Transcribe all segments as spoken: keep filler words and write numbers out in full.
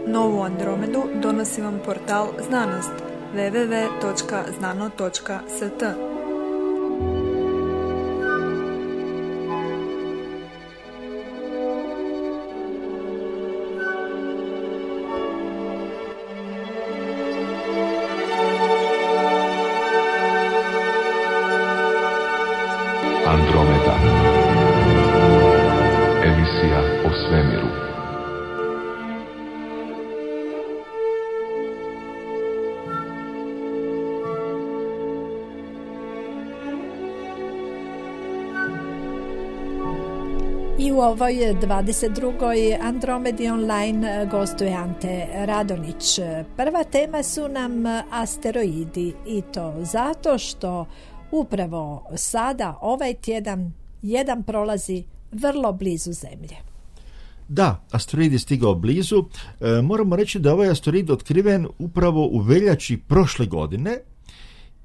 Novu Andromedu donosi vam portal Znanost w w w točka znano točka s t. Andromeda. Emisija o svemiru. I u ovoj dvadeset drugoj Andromedi online gostuje Ante Radonić. Prva tema su nam asteroidi i to zato što upravo sada, ovaj tjedan, jedan prolazi vrlo blizu Zemlje. Da, asteroid je stigao blizu. E, moramo reći da ovaj asteroid otkriven upravo u veljači prošle godine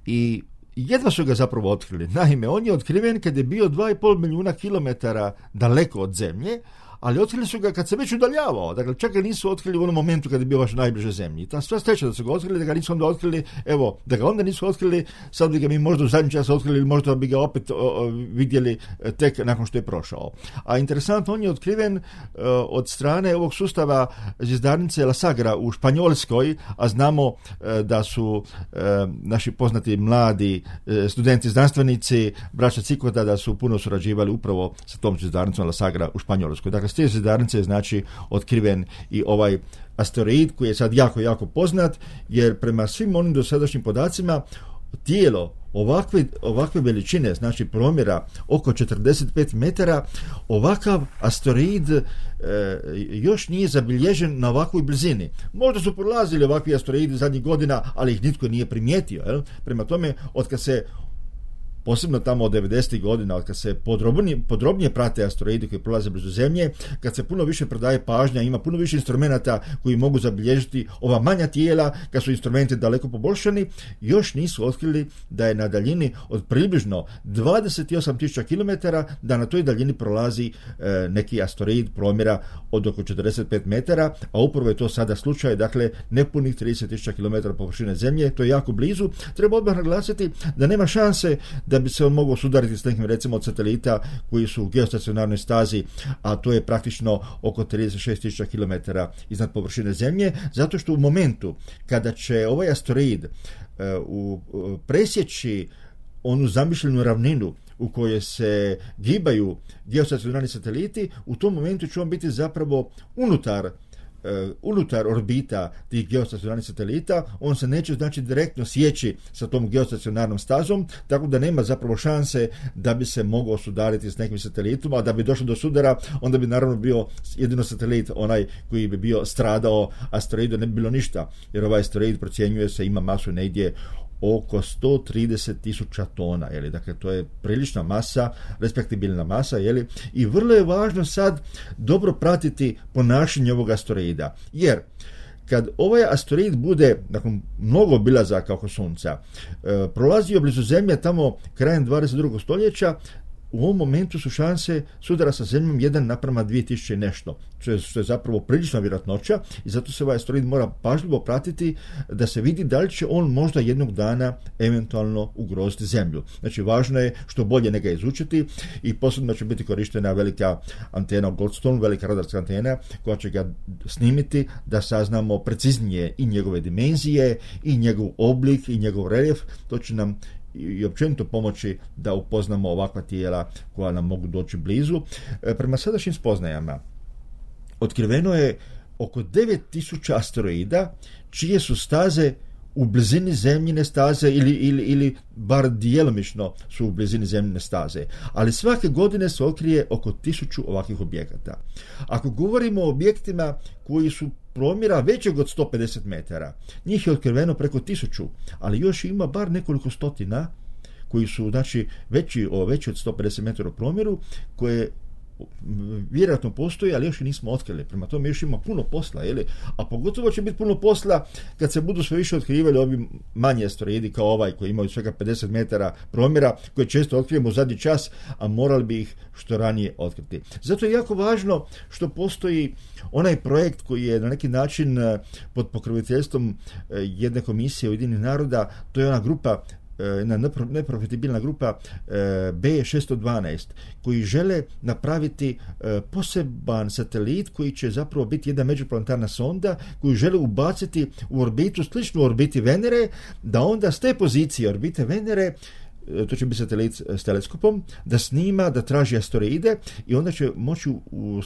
i jedva su ga zapravo otkrili. Naime, on je otkriven kad je bio dva i pol milijuna kilometara daleko od Zemlje, ali otkrili su ga kad se već udaljavao. Dakle, čak ga nisu otkrili u onom momentu kad je bio baš najbliže Zemlji. I ta sva sreća da su ga otkrili, da ga nisu onda otkrili, evo, da ga onda nisu otkrili, sad bi ga mi možda u zadnji čas otkrili ili možda bi ga opet o, o, vidjeli tek nakon što je prošao. A interesantno, on je otkriven o, od strane ovog sustava zvjezdarnice La Sagra u Španjolskoj, a znamo o, da su o, naši poznati mladi o, studenti, znanstvenici, braća Cikota, da su puno surađivali upravo sa tom zvjezdarnicom La Sagra u Španjolskoj. Dakle, s te zvjezdarnice je znači otkriven i ovaj asteroid koji je sad jako, jako poznat, jer prema svim onim dosadašnjim podacima tijelo ovakve, ovakve veličine, znači promjera oko četrdeset pet metara, ovakav asteroid e, još nije zabilježen na ovakvoj blizini. Možda su prolazili ovakvi asteroidi zadnjih godina, ali ih nitko nije primijetio. Jel? Prema tome, otkad se posebno tamo od devedesetih godina, kad se podrobnije, podrobnije prate asteroidi koji prolaze blizu Zemlje, kad se puno više prodaje pažnja, ima puno više instrumenata koji mogu zabilježiti ova manja tijela, kad su instrumenti daleko poboljšani, još nisu otkrili da je na daljini od približno dvadeset osam tisuća kilometara, da na toj daljini prolazi e, neki asteroid promjera od oko četrdeset pet metara, a upravo je to sada slučaj, dakle nepunih trideset tisuća kilometara površine Zemlje, to je jako blizu. Treba odmah naglasiti da nema šanse da bi se on mogao sudariti s nekim, recimo, od satelita koji su u geostacionarnoj stazi, a to je praktično oko trideset šest tisuća kilometara iznad površine Zemlje, zato što u momentu kada će ovaj asteroid uh, uh, presjeći onu zamišljenu ravninu u kojoj se gibaju geostacionarni sateliti, u tom momentu će on biti zapravo unutar Uh, unutar orbita tih geostacionarnih satelita, on se neće znači direktno sjeći sa tom geostacionarnom stazom, tako da nema zapravo šanse da bi se mogao sudariti s nekim satelitom, a da bi došlo do sudara, onda bi naravno bio jedino satelit onaj koji bi bio stradao, asteroidu ne bi bilo ništa, jer ovaj asteroid procjenjuje se ima masu negdje oko sto trideset tisuća tona, jeli? Dakle, to je prilična masa, respektibilna masa, jeli? I vrlo je važno sad dobro pratiti ponašanje ovog asteroida, jer kad ovaj asteroid bude, nakon mnogo obilazaka oko Sunca, e, prolazio blizu Zemlje tamo krajem dvadeset drugog stoljeća, u ovom momentu su šanse sudara sa Zemljom jedan naprama dvije tisuće i nešto, što je, što je zapravo prilična vjerojatnoća i zato se ovaj asteroid mora pažljivo pratiti da se vidi da li će on možda jednog dana eventualno ugroziti Zemlju. Znači, važno je što bolje njega izučiti i posebno će biti korištena velika antena Goldstone, velika radarska antena koja će ga snimiti da saznamo preciznije i njegove dimenzije, i njegov oblik, i njegov reljef. To će nam i općenito pomoći da upoznamo ovakva tijela koja nam mogu doći blizu. E, prema sadašnjim spoznajama otkriveno je oko devet tisuća asteroida čije su staze u blizini Zemljine staze ili, ili, ili bar djelomično su u blizini Zemljine staze. Ali svake godine se otkrije oko tisuću ovakvih objekata. Ako govorimo o objektima koji su promjera većeg od sto pedeset metara, njih je otkriveno preko tisuću, ali još ima bar nekoliko stotina koji su, znači, veći, o, veći od sto pedeset metara u promjeru, koje vjerojatno postoji, ali još i nismo otkrili. Prema tome još ima puno posla, jeli? A pogotovo će biti puno posla kad se budu sve više otkrivali ovi manji asteroidi kao ovaj koji imaju svega pedeset metara promjera, koje često otkrivamo u zadnji čas, a morali bi ih što ranije otkriti. Zato je jako važno što postoji onaj projekt koji je na neki način pod pokroviteljstvom jedne komisije Ujedinjenih naroda, to je ona grupa, jedna neprofitabilna grupa B šesto dvanaest, koji žele napraviti poseban satelit koji će zapravo biti jedna međuplanetarna sonda koju žele ubaciti u orbitu, sličnu orbiti Venere, da onda s te pozicije orbite Venere, to će biti satelit s teleskopom, da snima, da traži asteroide i onda će moći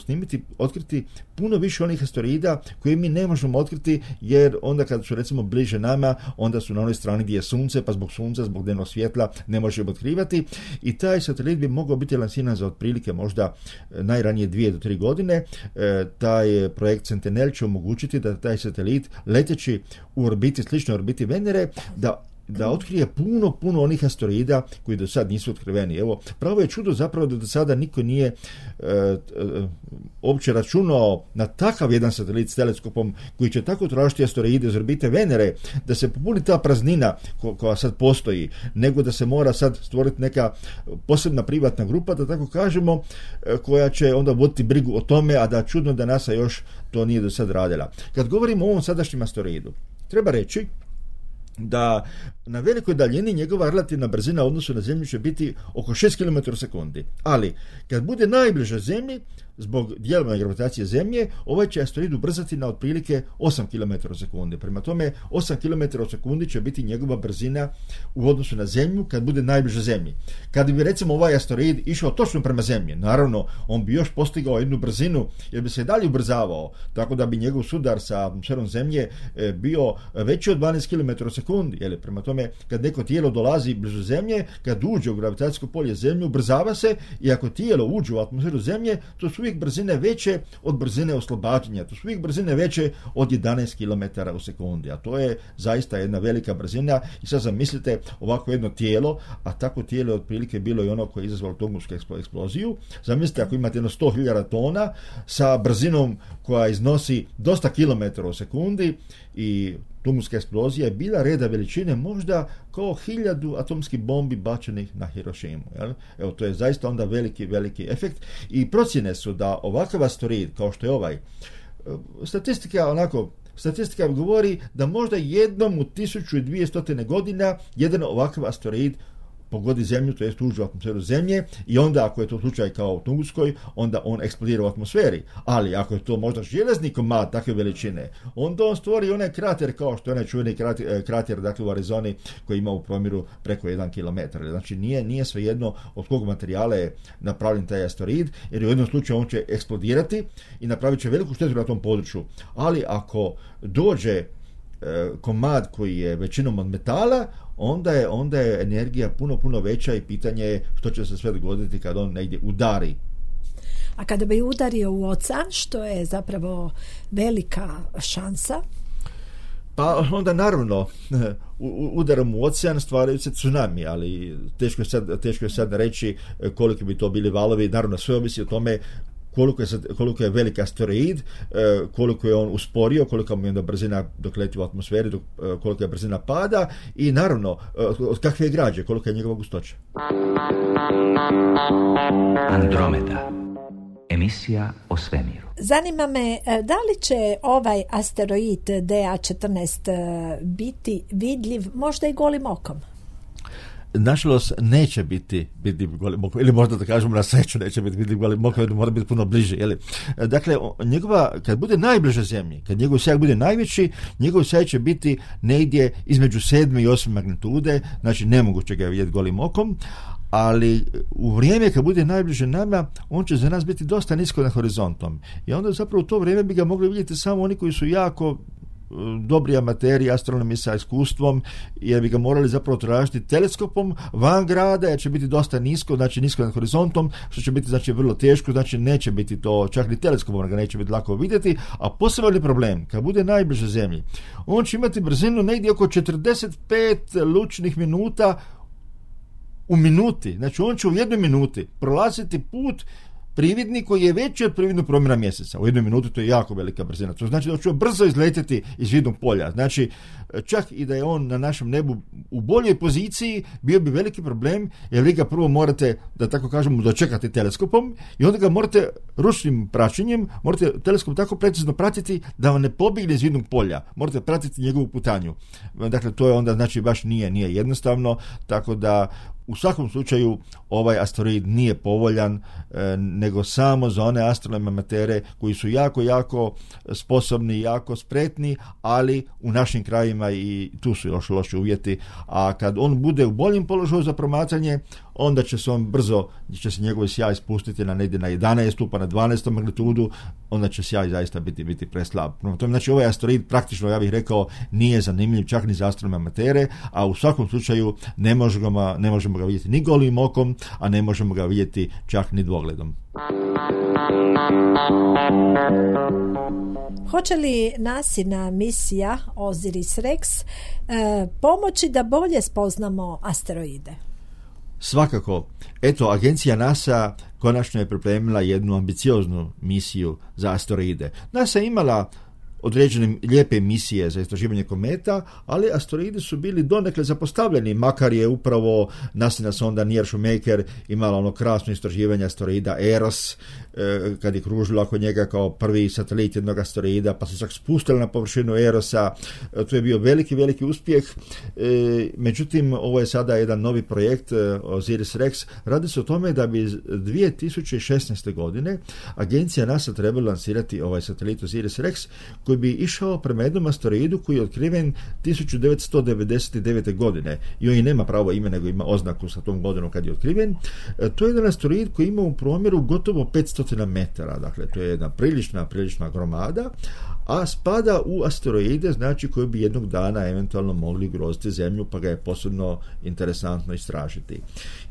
snimiti, otkriti puno više onih asteroida koje mi ne možemo otkriti, jer onda kad su recimo bliže nama, onda su na onoj strani gdje je sunce, pa zbog sunca, zbog dnevnog svjetla ne možemo otkrivati i taj satelit bi mogao biti lansiran za otprilike možda najranije dvije do tri godine. E, taj projekt Sentinel će omogućiti da taj satelit leteći u orbiti, sličnoj orbiti Venere, da da otkrije puno, puno onih asteroida koji do sad nisu otkriveni. Evo, pravo je čudo zapravo da do sada niko nije e, e, uopće računao na takav jedan satelit s teleskopom koji će tako tražiti asteroide iz orbite Venere, da se popuni ta praznina ko, koja sad postoji, nego da se mora sad stvoriti neka posebna privatna grupa, da tako kažemo, e, koja će onda voditi brigu o tome, a da čudno da NASA još to nije do sad radila. Kad govorimo o ovom sadašnjem asteroidu, treba reći da na velikoj daljini njegova relativna brzina u odnosu na Zemlju će biti oko šest kilometara u sekundi. Ali, kad bude najbliže Zemlji, zbog djelovanja gravitacije Zemlje, ovaj će asteroid ubrzati na otprilike osam kilometara u sekundi. Prema tome, osam kilometara u sekundi će biti njegova brzina u odnosu na Zemlju kad bude najbliže Zemlji. Kad bi recimo ovaj asteroid išao točno prema Zemlji, naravno, on bi još postigao jednu brzinu, jer bi se dalje ubrzavao, tako da bi njegov sudar sa atmosferom Zemlje bio veći od dvanaest kilometara u sekundi. Jel? Prema tome, kad neko tijelo dolazi blizu Zemlje, kad uđe u gravitacijsko polje Zemlje, ubrzava se i ako tijelo uđe u atmosferu Zemlje, to su uvijek brzine veće od brzine oslobađanja. To su uvijek brzine veće od jedanaest kilometara u sekundi, a to je zaista jedna velika brzina. I sad zamislite ovako jedno tijelo, a tako tijelo je otprilike bilo i ono koje je izazvalo Tungusku eksploziju. Zamislite ako imate jedno sto hiljada tona sa brzinom koja iznosi dosta kilometara u sekundi i Tunguska eksplozija je bila reda veličine možda kao hiljadu atomskih bombi bačenih na Hirošimu. Jel? Evo, to je zaista onda veliki, veliki efekt i procjene su da ovakav asteroid kao što je ovaj, statistika onako, statistika govori da možda jednom u tisuću dvjesto godina jedan ovakav asteroid pogodi Zemlju, to jest uđe u atmosferu Zemlje i onda ako je to slučaj kao u Tunguskoj, onda on eksplodira u atmosferi. Ali ako je to možda železni komad takve veličine, onda on stvori onaj krater kao što je onaj čuveni krater, krater dakle u Arizoni koji ima u promjeru preko jedan kilometar. Znači nije, nije svejedno od kog materijala je napravljen taj asteroid, jer u jednom slučaju on će eksplodirati i napravit će veliku štetu na tom području. Ali ako dođe komad koji je većinom od metala, onda je, onda je energija puno, puno veća i pitanje je što će se sve dogoditi kad on negdje udari. A kada bi udario u ocean, što je zapravo velika šansa? Pa onda naravno udarom u ocean stvaraju se tsunami, ali teško je sad, teško je sad reći koliko bi to bili valovi. Naravno sve ovisi o tome koliko je, koliko je velik asteroid, koliko je on usporio, koliko mu je onda brzina dok leti u atmosferi, dok, koliko je brzina pada i naravno od kakve je građe, koliko je njegova gustoća. Andromeda. Emisija o svemiru. Zanima me, da li će ovaj asteroid D A četrnaest biti vidljiv možda i golim okom? Nažalost, neće biti vidljiv golim okom, ili možda da kažemo na sreću neće biti vidljiv golim okom, jer mora biti puno bliže. Jeli? Dakle, njegova, kad bude najbliže Zemlji, kad njegov sjaj bude najveći, njegov sjaj će biti negdje između sedme i osme magnitude, znači nemoguće ga vidjeti golim okom, ali u vrijeme kad bude najbliže nama, on će za nas biti dosta nisko nad horizontom. I onda zapravo u to vrijeme bi ga mogli vidjeti samo oni koji su jako dobri amateri, astronomi sa iskustvom, jer bi ga morali zapravo tražiti teleskopom van grada, jer će biti dosta nisko, znači nisko nad horizontom, što će biti znači vrlo teško, znači neće biti to, čak ni teleskopom ga neće biti lako vidjeti, a poseban problem, kad bude najbliže Zemlji, on će imati brzinu negdje oko četrdeset pet lučnih minuta u minuti, znači on će u jednoj minuti prolaziti put prividni koji je veći od prividnog promjera mjeseca. U jednoj minuti to je jako velika brzina. To znači da će brzo izletjeti iz vidnog polja. Znači, čak i da je on na našem nebu u boljoj poziciji, bio bi veliki problem, jer vi ga prvo morate, da tako kažemo, dočekati teleskopom i onda ga morate ručnim praćenjem, morate teleskop tako precizno pratiti da vam ne pobjegne iz vidnog polja. Morate pratiti njegovu putanju. Dakle, to je onda, znači, baš nije, nije jednostavno, tako da u svakom slučaju ovaj asteroid nije povoljan, e, nego samo za one astronomske amatere koji su jako, jako sposobni, jako spretni, ali u našim krajima i tu su još loši uvjeti, a kad on bude u boljem položaju za promatranje, onda će se on brzo, će se njegov sjaj spustiti na negdje na jedanaestu pa na dvanaestom magnitudu, onda će sjaj zaista biti, biti preslab. Znači, ovaj asteroid praktično, ja bih rekao, nije zanimljiv čak ni za astronomske amatere, a u svakom slučaju ne možemo ga, ne možemo ga vidjeti ni golim okom, a ne možemo ga vidjeti čak ni dvogledom. Hoće li nasina misija Osiris-Rex eh, pomoći da bolje spoznamo asteroide? Svakako. Eto, agencija NASA konačno je pripremila jednu ambicioznu misiju za asteroide. NASA je imala određene lijepe misije za istraživanje kometa, ali asteroidi su bili donekle zapostavljeni, makar je upravo nasina sonda Near Shoemaker imala ono krasno istraživanje asteroida Eros, e, kad je kružila oko njega kao prvi satelit jednog asteroida, pa se čak spustila na površinu Erosa. E, to je bio veliki, veliki uspjeh. E, međutim, ovo je sada jedan novi projekt, Osiris-Rex. Radi se o tome da bi dvije tisuće šesnaeste. godine agencija NASA trebala lansirati ovaj satelit Osiris-Rex, koji bi išao prema jednom asteroidu koji je otkriven tisuću devetsto devedeset devete. godine i on i nema pravo ime, nego ima oznaku sa tom godinom kad je otkriven. E, to je jedan asteroid koji ima u promjeru gotovo petsto metara, dakle to je jedna prilična, prilična gromada, a spada u asteroide, znači koji bi jednog dana eventualno mogli ugroziti Zemlju, pa ga je posebno interesantno istražiti.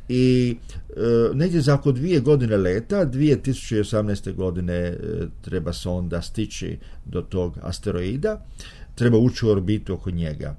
I e, negdje za oko dvije godine leta, dvije tisuće osamnaeste. godine e, treba sonda stići do tog asteroida, treba ući u orbitu oko njega.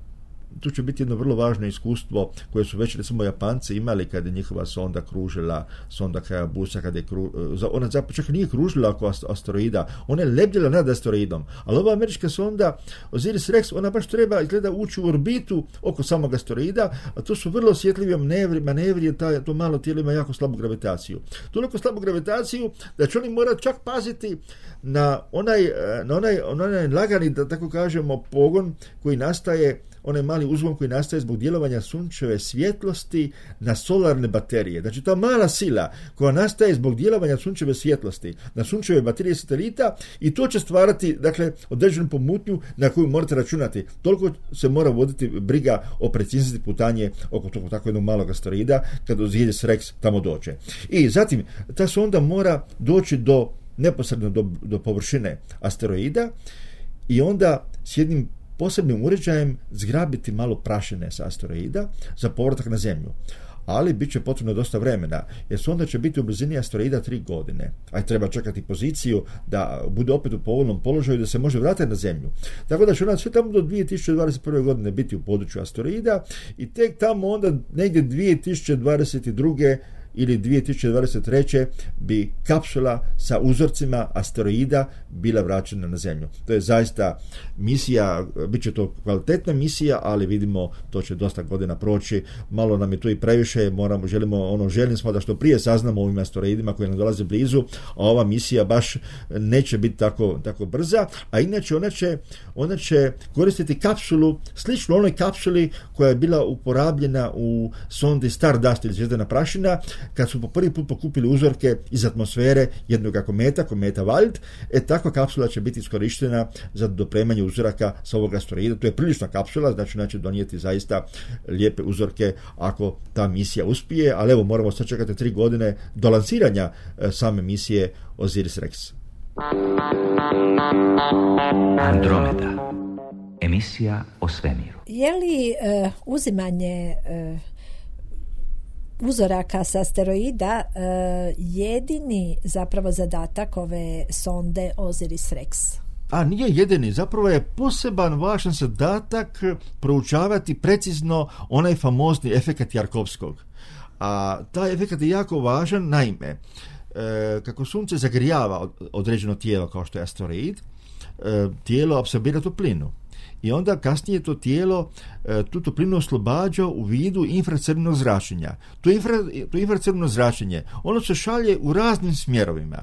Tu će biti jedno vrlo važno iskustvo koje su već recimo Japanci imali kada je njihova sonda kružila, sonda Hayabusa, kada je kru, ona zapravo čak nije kružila oko asteroida, ona je lebdjela nad asteroidom, ali ova američka sonda Osiris-Rex, ona baš treba izgleda ući u orbitu oko samog asteroida, a to su vrlo osjetljivi manevri, manevri jer ta, to malo tijelo ima jako slabu gravitaciju. Toliko slabu gravitaciju da će oni morati čak paziti na onaj, na onaj, na onaj lagani, da tako kažemo, pogon koji nastaje, onaj mali uzvon koji nastaje zbog djelovanja sunčeve svjetlosti na solarne baterije. Znači, ta mala sila koja nastaje zbog djelovanja sunčeve svjetlosti na sunčeve baterije satelita, i to će stvarati, dakle, određenu pomutnju na koju morate računati. Toliko se mora voditi briga o preciznosti putanje oko tog tako jednog malog asteroida kad Osiris-Rex tamo dođe. I zatim, ta sonda mora doći do neposredno do, do površine asteroida i onda s jednim posebnim uređajem zgrabiti malo prašine sa asteroida za povratak na Zemlju. Ali bit će potrebno dosta vremena, jer sonda će biti u blizini asteroida tri godine, a treba čekati poziciju da bude opet u povoljnom položaju da se može vratiti na Zemlju. Tako da će ona sve tamo do dvije tisuće dvadeset prve. godine biti u području asteroida i tek tamo onda negdje dvije tisuće dvadeset druge ili dvije tisuće dvadeset treće. bi kapsula sa uzorcima asteroida bila vraćena na Zemlju. To je zaista misija, bit će to kvalitetna misija, ali vidimo to će dosta godina proći, malo nam je to i previše, moramo, želimo, ono, želim smo da što prije saznamo o ovim asteroidima koji nam dolaze blizu, a ova misija baš neće biti tako, tako brza, a inače ona će, ona će koristiti kapsulu, slično onoj kapsuli koja je bila uporabljena u sondi Stardust ili Zvijezdana prašina, kad su po prvi put pokupili uzorke iz atmosfere jednog kometa, kometa Wild. E, takva kapsula će biti iskorištena za dopremanje uzoraka sa ovog asteroida. To je prilična kapsula, znači ona će donijeti zaista lijepe uzorke ako ta misija uspije, ali evo, moramo sad čekati tri godine do lansiranja e, same misije Osiris-Rex. Andromeda. Emisija o svemiru. Je li e, uzimanje e, uzoraka sa asteroida e, jedini zapravo zadatak ove sonde Osiris-Rex? A nije jedini, zapravo je poseban važan zadatak proučavati precizno onaj famozni efekat Jarkovskog. A taj efekat je jako važan, naime, e, kako sunce zagrijava određeno tijelo kao što je asteroid, e, tijelo apsorbira toplinu. I onda kasnije to tijelo e, tu toplinu oslobađa u vidu infracrvenog zračenja. To, infra, to infracrveno zračenje, ono se šalje u raznim smjerovima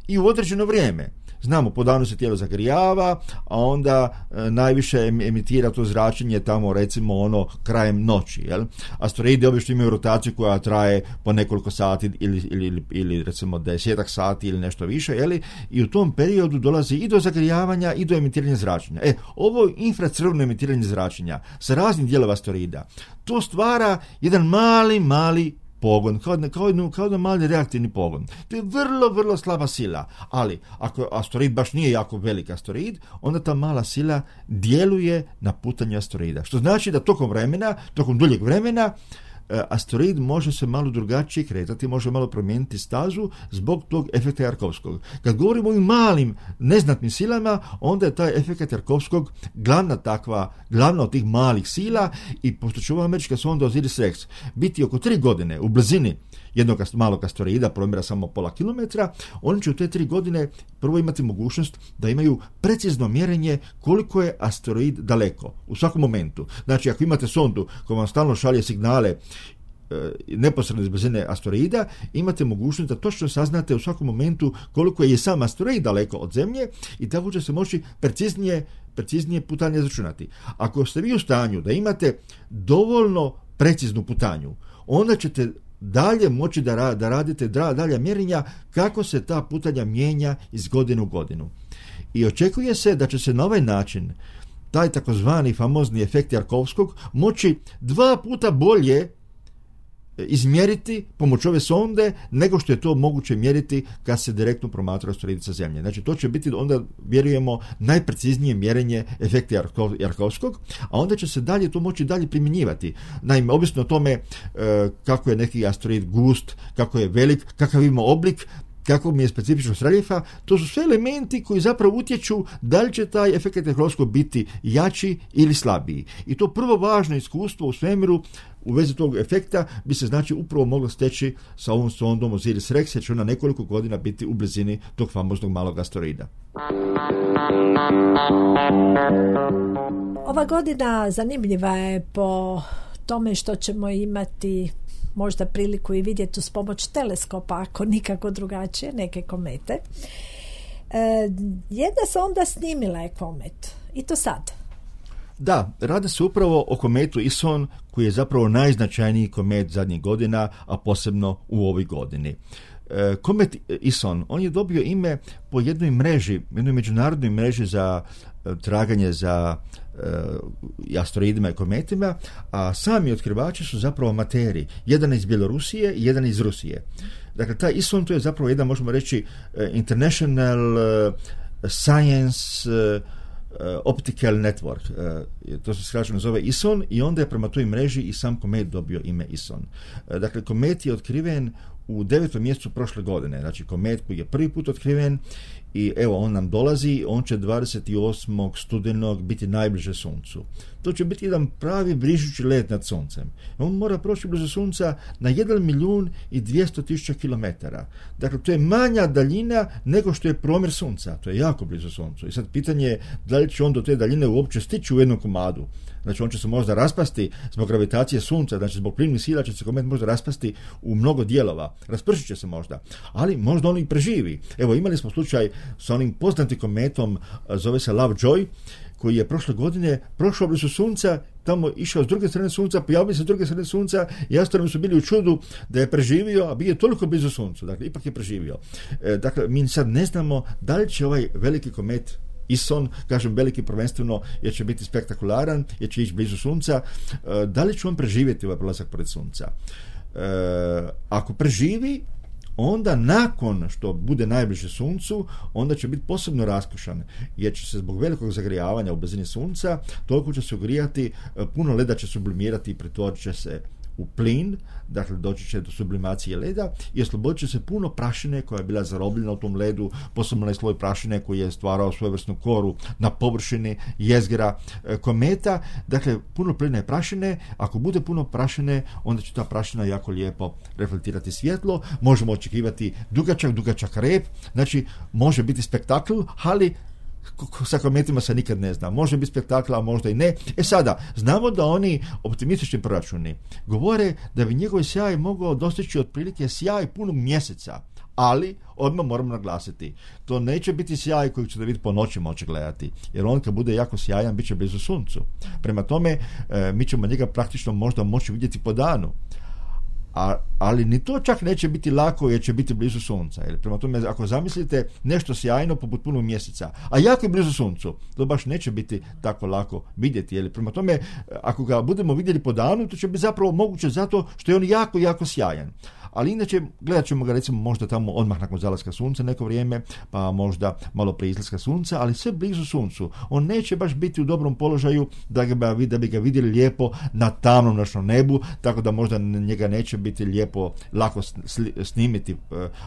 i u određeno vrijeme. Znamo, po danu se tijelo zagrijava, a onda e, najviše emitira to zračenje tamo, recimo, ono, krajem noći. Jel? Asteroidi obično imaju rotaciju koja traje po nekoliko sati ili, ili, ili, ili recimo desetak sati ili nešto više, jel? I u tom periodu dolazi i do zagrijavanja i do emitiranja zračenja. E, ovo infracrveno emitiranje zračenja sa raznih dijelova asteroida, to stvara jedan mali, mali pogon, kao, kao, kao jedan mali reaktivni pogon. To je vrlo, vrlo slaba sila, ali ako asteroid baš nije jako velik asteroid, onda ta mala sila djeluje na putanje asteroida. Što znači da tokom vremena, tokom duljeg vremena, asteroid može se malo drugačije kretati, može malo promijeniti stazu zbog tog efekta Jarkovskog. Kad govorimo o ovim malim, neznatnim silama, onda je taj efekt Jarkovskog glavna takva, glavna od tih malih sila, i pošto će ova američka sonda Osiris-Rex biti oko tri godine u blizini jednog malog asteroida, promjera samo pola kilometra, oni će u te tri godine prvo imati mogućnost da imaju precizno mjerenje koliko je asteroid daleko u svakom momentu. Znači, ako imate sondu koja vam stalno šalje signale e, neposredno iz blizine asteroida, imate mogućnost da točno saznate u svakom momentu koliko je sam asteroid daleko od Zemlje, i tako će se moći preciznije, preciznije putanje izračunati. Ako ste vi u stanju da imate dovoljno preciznu putanju, onda ćete dalje moći da, da radite dalja mjerenja kako se ta putanja mijenja iz godine u godinu. I očekuje se da će se na ovaj način taj takozvani famozni efekt Jarkovskog moći dva puta bolje izmjeriti pomoću ove sonde nego što je to moguće mjeriti kad se direktno promatra asteroid sa Zemlje. Znači, to će biti onda, vjerujemo, najpreciznije mjerenje efekta Jarkovskog, a onda će se dalje to moći dalje primjenjivati. Naime, ovisno o tome e, kako je neki asteroid gust, kako je velik, kakav ima oblik, kako mi je specifičnost reljefa, to su sve elementi koji zapravo utječu da li će taj efekt Jarkovskog biti jači ili slabiji. I to prvo važno iskustvo u svemiru u vezi tog efekta bi se, znači, upravo moglo steći sa ovom sondom Osiris-Rex, jer će ona nekoliko godina biti u blizini tog famoznog malog asteroida. Ova godina zanimljiva je po tome što ćemo imati možda priliku i vidjeti uz pomoć teleskopa, ako nikako drugačije, neke komete. E, jedna sonda snimila je komet. I to sad. Da, radi se upravo o kometu Ison, koji je zapravo najznačajniji komet zadnjih godina, a posebno u ovoj godini. E, komet Ison, on je dobio ime po jednoj mreži, jednoj međunarodnoj mreži za e, traganje za e, asteroidima i kometima, a sami otkrivači su zapravo amateri. Jedan iz Bjelorusije i jedan iz Rusije. Dakle, taj Ison, to je zapravo jedan, možemo reći, International Science Optical Network, to se skraćeno zove Ison, i onda je prema toj mreži i sam komet dobio ime Ison. Dakle, komet je otkriven u devetom mjesecu prošle godine, znači komet koji je prvi put otkriven, i evo, on nam dolazi, on će dvadeset osmog studenog biti najbliže Suncu. To će biti jedan pravi vrižući let nad Suncem. On mora proći blizu Sunca na jedan milijun i dvjesto tisuća kilometara. Dakle, to je manja daljina nego što je promjer Sunca. To je jako blizu Suncu. I sad pitanje je da li će on do te daljine uopće stići u jednom komadu. Znači, on će se možda raspasti zbog gravitacije Sunca, znači zbog plimnih sila će se komet možda raspasti u mnogo dijelova. Raspršit će se možda, ali možda on i preživi. Evo, imali smo slučaj sa onim poznatim kometom, zove se Lovejoy, koji je prošle godine prošao blizu Sunca, tamo išao s druge strane Sunca, pojavio se s druge strane Sunca i astronomi su bili u čudu da je preživio, a bio je toliko blizu Suncu. Dakle, ipak je preživio. E, dakle, mi sad ne znamo da li će ovaj veliki komet Ison, kažem veliki prvenstveno jer će biti spektakularan, jer će ići blizu Sunca, e, da li će on preživjeti ovaj prolazak pored Sunca? E, ako preživi, onda nakon što bude najbliže Suncu, onda će biti posebno raskošan, jer će se zbog velikog zagrijavanja u blizini Sunca toliko će se ugrijati, puno leda će sublimirati i pretvorit će se u plin, dakle doći će do sublimacije leda i oslobodit će se puno prašine koja je bila zarobljena u tom ledu, posebno onaj sloj prašine koji je stvarao svojevrsnu koru na površini jezgra e, kometa. Dakle, puno plina i prašine. Ako bude puno prašine, onda će ta prašina jako lijepo reflektirati svjetlo. Možemo očekivati dugačak, dugačak rep. Znači, može biti spektakl, ali sa kometima se nikad ne zna. Može biti spektakl, a možda i ne. E sada, znamo da oni optimistični proračuni govore da bi njegov sjaj mogao dostići otprilike sjaj punog mjeseca. Ali, odmah moramo naglasiti, to neće biti sjaj koji ćete vidjeti po noći moći gledati, jer on kad bude jako sjajan, bit će blizu suncu. Prema tome, e, mi ćemo njega praktično možda moći vidjeti po danu. A, ali ni to čak neće biti lako jer će biti blizu sunca. Jer prema tome, ako zamislite nešto sjajno poput punog mjeseca, a jako je blizu suncu, to baš neće biti tako lako vidjeti. Jer prema tome, ako ga budemo vidjeli po danu, to će biti zapravo moguće zato što je on jako, jako sjajan. Ali inače, gledat ćemo ga recimo možda tamo odmah nakon zalaska sunca neko vrijeme, pa možda malo prije izlaska sunca, ali sve blizu suncu. On neće baš biti u dobrom položaju da, ga, da bi ga vidjeli lijepo na tamnom noćnom nebu, tako da možda njega neće biti lijepo lako snimiti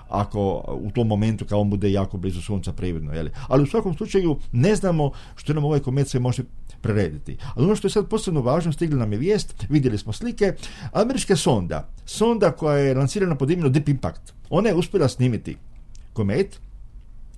ako u tom momentu kao on bude jako blizu sunca prividno. Jeli? Ali u svakom slučaju ne znamo što nam ovaj komet se može prerediti. Ali ono što je sad posebno važno, stigla nam je vijest, vidjeli smo slike, američka sonda, sonda koja je lansirana pod imenom Deep Impact, ona je uspjela snimiti komet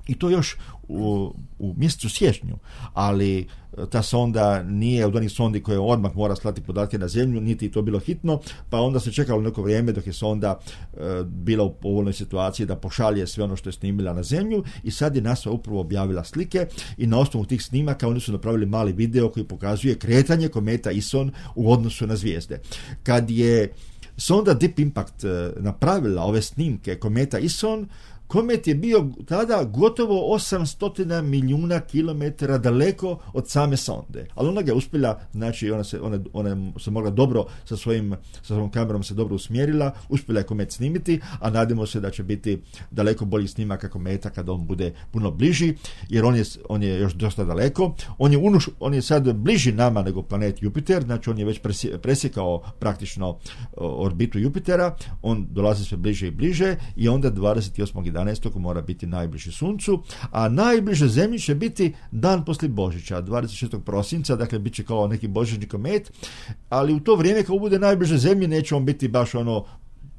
i to još u, u mjesecu siječnju, ali ta sonda nije od onih sondi koje odmah mora slati podatke na zemlju, niti to bilo hitno, pa onda se čekalo neko vrijeme dok je sonda e, bila u povoljnoj situaciji da pošalje sve ono što je snimila na zemlju i sad je NASA upravo objavila slike i na osnovu tih snimaka oni su napravili mali video koji pokazuje kretanje kometa Ison u odnosu na zvijezde. Kad je sonda Deep Impact napravila ove snimke kometa Ison, komet je bio tada gotovo osamsto milijuna kilometara daleko od same sonde. Ali ona ga je uspjela, znači ona se, ona, ona se mogla dobro sa svojim sa svojom kamerom se dobro usmjerila, uspjela je komet snimiti, a nadamo se da će biti daleko bolji snimaka kometa kad on bude puno bliži, jer on je, on je još dosta daleko. On je, unuš, on je sad bliži nama nego planet Jupiter, znači on je već presjekao praktično orbitu Jupitera, on dolazi sve bliže i bliže i onda dvadeset osmog jedanaestog mora biti najbliži suncu, a najbliže zemlji će biti dan poslije Božića, dvadeset šestog prosinca, dakle bit će kao neki božićni komet, ali u to vrijeme kad bude najbliže zemlji neće on biti baš ono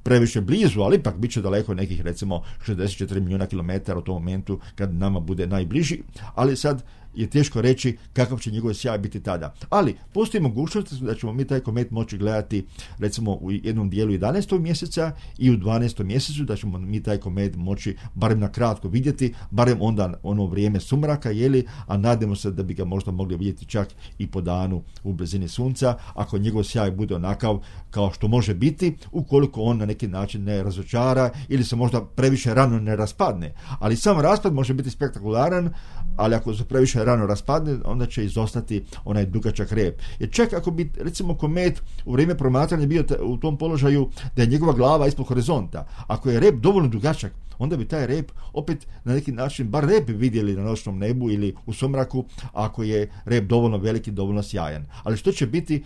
previše blizu, ali ipak bit će daleko nekih recimo šezdeset četiri milijuna kilometara u tom momentu kad nama bude najbliži, ali sad je teško reći kakav će njegov sjaj biti tada. Ali postoji mogućnost da ćemo mi taj komet moći gledati recimo u jednom dijelu jedanaestog mjeseca i u dvanaestom mjesecu, da ćemo mi taj komet moći barem na kratko vidjeti, barem onda ono vrijeme sumraka, jeli, a nadamo se da bi ga možda mogli vidjeti čak i po danu u blizini sunca, ako njegov sjaj bude onakav kao što može biti, ukoliko on na neki način ne razočara ili se možda previše rano ne raspadne. Ali sam raspad može biti spektakularan, ali ako se previše rano raspadne, onda će izostati onaj dugačak rep. Jer čak ako bi recimo komet u vrijeme promatranja bio u tom položaju da je njegova glava ispod horizonta, ako je rep dovoljno dugačak, onda bi taj rep opet na neki način bar rep vidjeli na noćnom nebu ili u sumraku, ako je rep dovoljno veliki, dovoljno sjajan. Ali što će biti,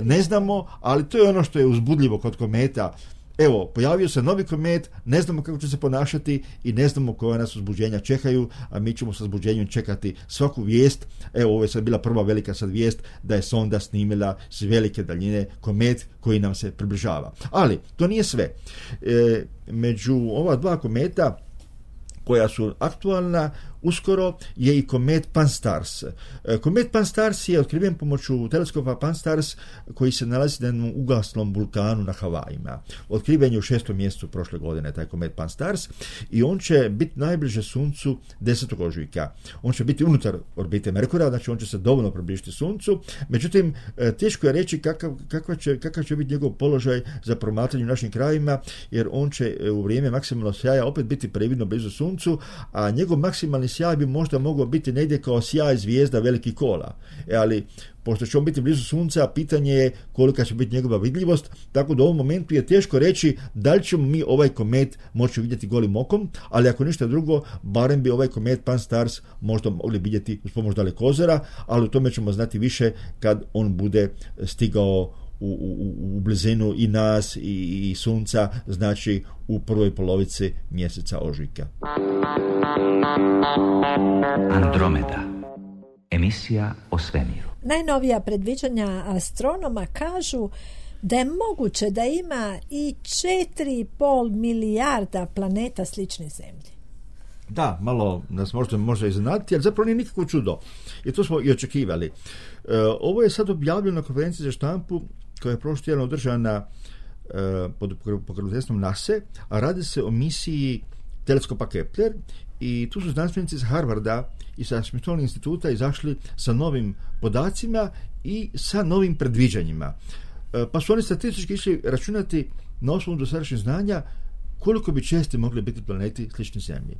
ne znamo, ali to je ono što je uzbudljivo kod kometa. Evo, pojavio se novi komet, ne znamo kako će se ponašati i ne znamo koje nas uzbuđenja čekaju, a mi ćemo sa uzbuđenjem čekati svaku vijest. Evo, ovo je sad bila prva velika sad vijest da je sonda snimila s velike daljine komet koji nam se približava. Ali, to nije sve. E, među ova dva kometa koja su aktualna, uskoro je i komet Pan-STARRS. Komet Pan-STARRS je otkriven pomoću teleskopa Pan-STARRS koji se nalazi na jednom ugaslom vulkanu na Havajima. Otkriven je u šestom mjesecu prošle godine taj komet Pan-STARRS i on će biti najbliže suncu desetog ožujka. On će biti unutar orbite Merkura, znači on će se dovoljno približiti suncu. Međutim, teško je reći kakav, kakav, će, kakav će biti njegov položaj za promatranje u našim krajima, jer on će u vrijeme maksimalnog sjaja opet biti previdno blizu suncu, a njegov maksimalni sjaj bi možda mogao biti negdje kao sjaj zvijezda velikih kola. E, ali pošto će on biti blizu sunca, pitanje je kolika će biti njegova vidljivost, tako da u ovom momentu je teško reći da li ćemo mi ovaj komet moći vidjeti golim okom, ali ako ništa drugo, barem bi ovaj komet Pan-STARRS možda mogli vidjeti uz pomoć dalekozora, ali o tome ćemo znati više kad on bude stigao u, u, u blizinu i nas i, i sunca, znači u prvoj polovici mjeseca ožujka. Andromeda, emisija o svemiru. Najnovija predviđanja astronoma kažu da je moguće da ima i četiri i pol milijarda planeta sličnih Zemlji. Da, malo nas možda može iznenaditi, ali zapravo nije nikakvo čudo. I to smo i očekivali. E, ovo je sad objavljeno na konferenciji za štampu koja je prošli tjedan održana e, pod pokroviteljstvom NASA, a radi se o misiji teleskopa Kepler i tu su znanstvenici iz Harvarda i sa Smithsonian instituta izašli sa novim podacima i sa novim predviđanjima. E, pa su oni statistički išli računati na osnovu dosadašnjih znanja koliko bi česti mogli biti planeti slični Zemlji.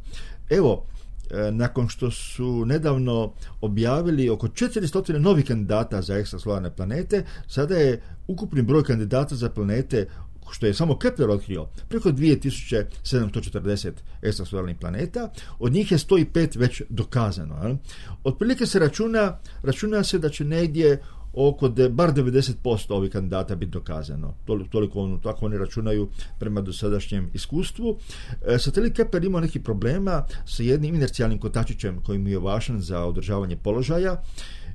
Evo, e, nakon što su nedavno objavili oko četiristo novih kandidata za ekstrasolarne planete, sada je ukupni broj kandidata za planete, što je samo Kepler otkrio, preko dvije tisuće sedamsto četrdeset ekstrasolarnih planeta, od njih je sto pet već dokazano. Jel? Otprilike se računa, računa se da će negdje oko de, bar devedeset posto ovih kandidata biti dokazano. Toliko, toliko ono, tako oni računaju prema dosadašnjem iskustvu. E, satelit Kepler ima neki problema sa jednim inercijalnim kotačićem koji mu je važan za održavanje položaja,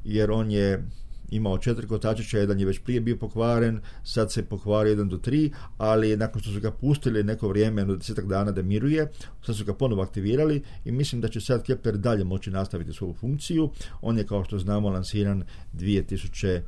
jer on je imao četiri kotačića, jedan je već prije bio pokvaren, sad se pokvari jedan do tri, ali nakon što su ga pustili neko vrijeme, jedno desetak dana da miruje, sad su ga ponovo aktivirali i mislim da će sad Kepler dalje moći nastaviti svoju funkciju. On je, kao što znamo, lansiran dvije tisuće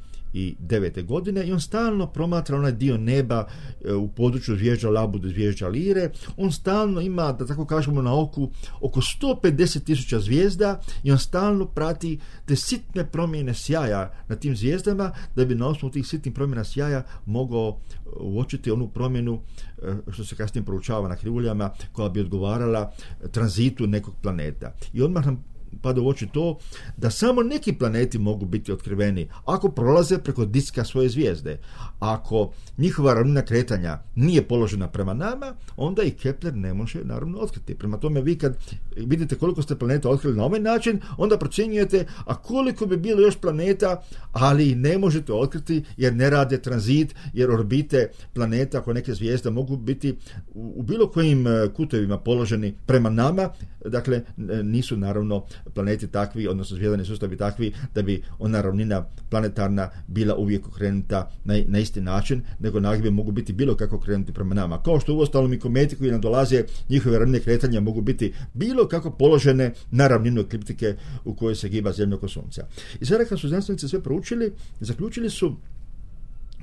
devete godine i on stalno promatra onaj dio neba e, u području zvijezda Labude, zvijezda Lire. On stalno ima, da tako kažemo, na oku oko sto pedeset tisuća zvijezda i on stalno prati te sitne promjene sjaja na tim zvijezdama, da bi na osnovu tih sitnih promjena sjaja mogao uočiti onu promjenu e, što se kasnije proučava na krivuljama, koja bi odgovarala tranzitu nekog planeta. I odmah nam pada u oči to da samo neki planeti mogu biti otkriveni ako prolaze preko diska svoje zvijezde. Ako njihova ravnina kretanja nije položena prema nama, onda i Kepler ne može naravno otkriti. Prema tome, vi kad vidite koliko ste planeta otkrili na ovaj način, onda procjenjujete a koliko bi bilo još planeta, ali ne možete otkriti jer ne rade tranzit, jer orbite planeta oko neke zvijezde mogu biti u, u bilo kojim kutovima položeni prema nama. Dakle, nisu naravno planeti takvi, odnosno zvijezdani sustavi takvi da bi ona ravnina planetarna bila uvijek okrenuta na, na isti način, nego nagibje mogu biti bilo kako okrenuti prema nama. Kao što uostalom i kometi koji nam dolaze, njihove ravnine kretanja mogu biti bilo kako položene na ravninu ekliptike u kojoj se giba Zemlja oko Sunca. I sada kad su znanstvenici sve proučili, zaključili su,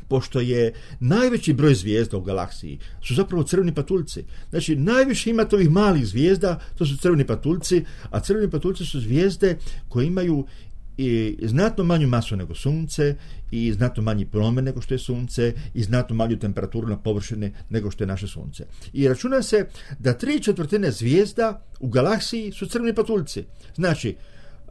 pošto je najveći broj zvijezda u galaksiji su zapravo crveni patuljci. Znači, najviše imate ovih malih zvijezda, to su crveni patuljci, a crveni patuljci su zvijezde koje imaju i znatno manju masu nego Sunce i znatno manji promen nego što je Sunce i znatno manju temperaturu na površini nego što je naše Sunce. I računa se da tri četvrtine zvijezda u galaksiji su crveni patuljci. Znači,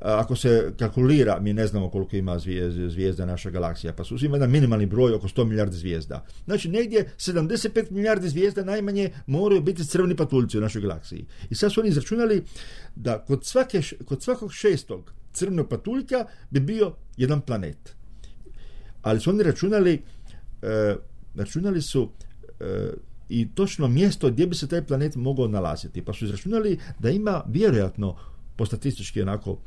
ako se kalkulira, mi ne znamo koliko ima zvijezda, zvijezda naša galaksija, pa su uzima jedan minimalni broj oko sto milijardi zvijezda. Znači, negdje sedamdeset pet milijardi zvijezda najmanje moraju biti crveni patuljci u našoj galaksiji. I sad su oni izračunali da kod, svake, kod svakog šestog crvenog patuljka bi bio jedan planet. Ali su oni računali, e, računali su e, i točno mjesto gdje bi se taj planet mogao nalaziti. Pa su izračunali da ima vjerojatno, po statistički onako,